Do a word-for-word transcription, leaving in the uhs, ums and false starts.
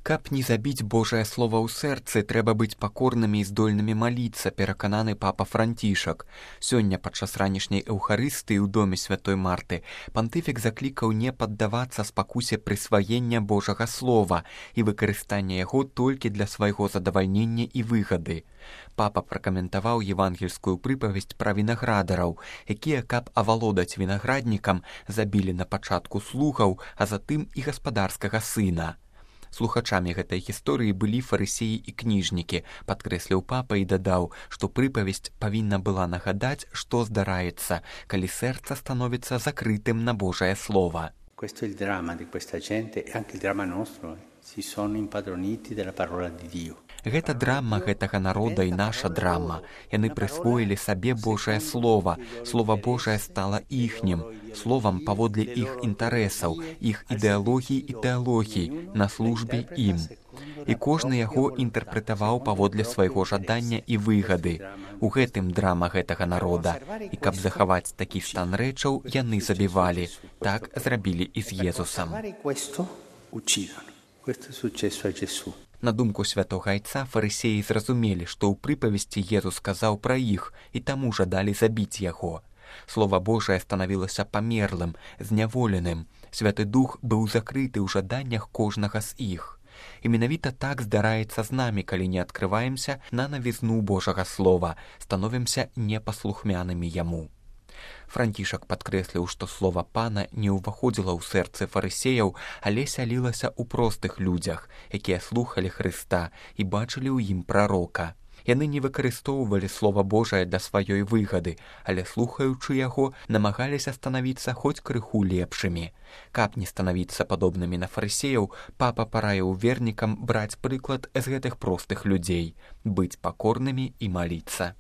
Каб не забіць Божае слова ў сэрцы, трэба быць пакорнымі і здольнымі маліцца, перакананы папа Францішак. Сёння падчас ранішняй эўхарыстыі ў доме святой Марты пантыфік заклікаў не паддавацца спакусе прысваення Божага слова і выкарыстання яго толькі для свайго задавальнення і выгады. Папа пракаментаваў евангельскую прыпавесць пра вінаградараў, якія, каб авалодаць вінаграднікам, забілі на пачатку слугаў, а затым і гаспадарскага сына. Слухачамі гэтай гісторыі былі фарысеі і кніжнікі, падкрэсліў папа і дадаў, што прыпавесць павінна была нагадаць, што здараецца, калі сэрца становіцца закрытым на Божае слова. Questo è il dramma di questa gente e anche il dramma nostro. Si sono impadroniti della parola di Dio. Гэта драма гэтага народа і наша драма. Яны прысвоілі сабе Божае слова. Слова Божае стала іхнім, словам паводле іх інтарэсаў, іх ідэалогій і тэалогій, на службе ім. І кожны яго інтэрпрэтаваў паводле свайго жадання і выгады. У гэтым драма гэтага народа. І каб захаваць такі стан рэчаў, яны забівалі. Так зрабілі і з Езусам. На думку святога айца, фарысеі зразумелі, што ў прыпавесці Езус сказаў пра іх і таму жадалі забіць яго. Слова Божае станавілася памерлым, зняволеным. Святы Дух быў закрыты ў жаданнях кожнага з іх. І менавіта так здараецца з намі, калі не адкрываемся на навізну Божага слова, становімся непаслухмянымі яму. Францішак падкрэсліў, што слова пана не ўваходзіла ў сэрцы фарысеяў, але сялілася ў простых людзях, якія слухалі Хрыста і бачылі ў ім прарока. Яны не выкарыстоўвалі слова Божае для сваёй выгады, але, слухаючы яго, намагаліся станавіцца хоць крыху лепшымі. Каб не станавіцца падобнымі на фарысеяў, папа параіў вернікам браць прыклад з гэтых простых людзей, быць пакорнымі і маліцца.